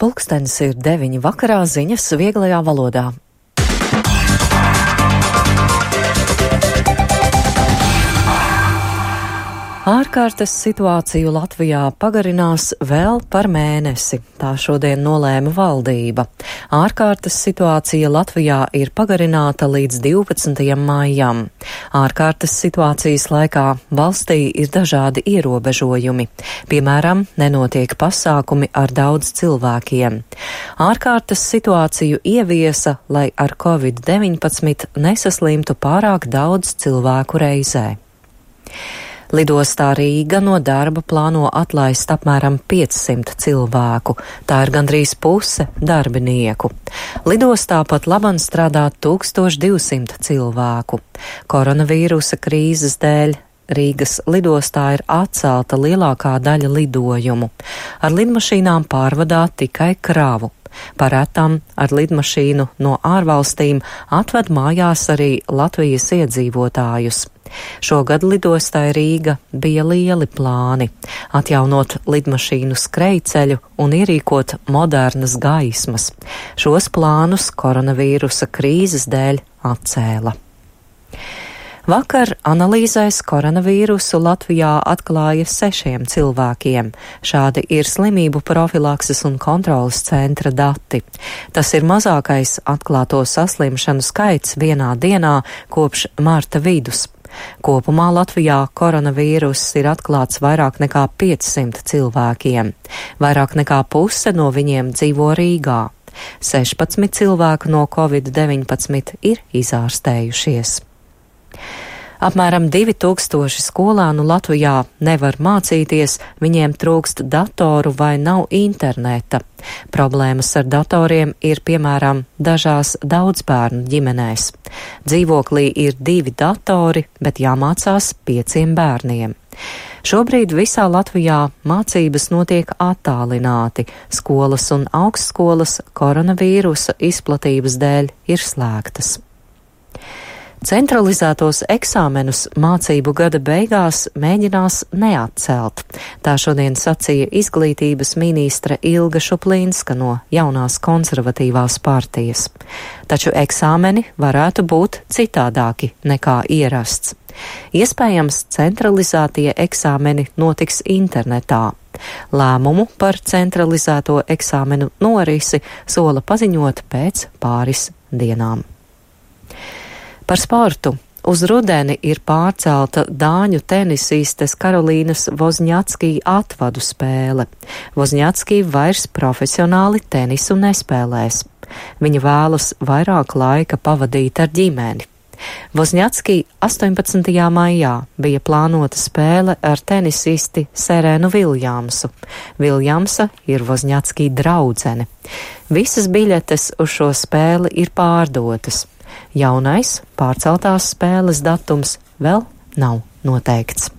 Pulkstenis ir 9 vakarā, ziņas vieglajā valodā. Ārkārtas situāciju Latvijā pagarinās vēl par mēnesi, tā šodien nolēma valdība. Ārkārtas situācija Latvijā ir pagarināta līdz 12. maijam. Ārkārtas situācijas laikā valstī ir dažādi ierobežojumi. Piemēram, nenotiek pasākumi ar daudz cilvēkiem. Ārkārtas situāciju ieviesa, lai ar Covid-19 nesaslimtu pārāk daudz cilvēku reizē. Lidostā Rīga no darba plāno atlaist apmēram 500 cilvēku, tā ir gandrīz puse darbinieku. Lidostā pat labam strādā 1200 cilvēku. Koronavīrusa krīzes dēļ Rīgas lidostā ir atcelta lielākā daļa lidojumu. Ar lidmašīnām pārvadā tikai kravu. Parētām ar lidmašīnu no ārvalstīm atved mājās arī Latvijas iedzīvotājus. Šogad lidostai Rīga bija lieli plāni – atjaunot lidmašīnu skrejceļu un ierīkot modernas gaismas. Šos plānus koronavīrusa krīzes dēļ atcēla. Vakar analīzēs koronavīrusu Latvijā atklāja 6 cilvēkiem. Šādi ir slimību profilakses un kontrolas centra dati. Tas ir mazākais atklāto saslimšanu skaits vienā dienā kopš marta vidus. Kopumā Latvijā koronavīruss ir atklāts vairāk nekā 500 cilvēkiem. Vairāk nekā puse no viņiem dzīvo Rīgā. 16 cilvēku no Covid-19 ir izārstējušies. Apmēram 2000 skolānu Latvijā nevar mācīties, viņiem trūkst datoru vai nav interneta. Problēmas ar datoriem ir piemēram dažās daudzbērnu ģimenēs. Dzīvoklī ir 2 datori, bet jāmācās 5 bērniem. Šobrīd visā Latvijā mācības notiek attālināti. Skolas un augstskolas koronavīrusa izplatības dēļ ir slēgtas. Centralizētos eksāmenus mācību gada beigās mēģinās neatcelt. Tā šodien sacīja izglītības ministre Ilga Šuplīnska no jaunās konservatīvās partijas. Taču eksāmeni varētu būt citādāki nekā ierasts. Iespējams, centralizētie eksāmeni notiks internetā. Lēmumu par centralizēto eksāmenu norisi sola paziņot pēc pāris dienām. Par sportu. Uz rudeni ir pārcelta dāņu tenisistes Karolīnas Vozņacki atvadu spēle. Vozņacki vairs profesionāli tenisu nespēlēs. Viņa vēlas vairāk laika pavadīt ar ģimeni. Vozņacki 18. maijā bija plānota spēle ar tenisisti Serenu Viljamsu. Viljamsa ir Vozņacki draudzene. Visas biļetes uz šo spēli ir pārdotas. Jaunais pārceltās spēles datums vēl nav noteikts.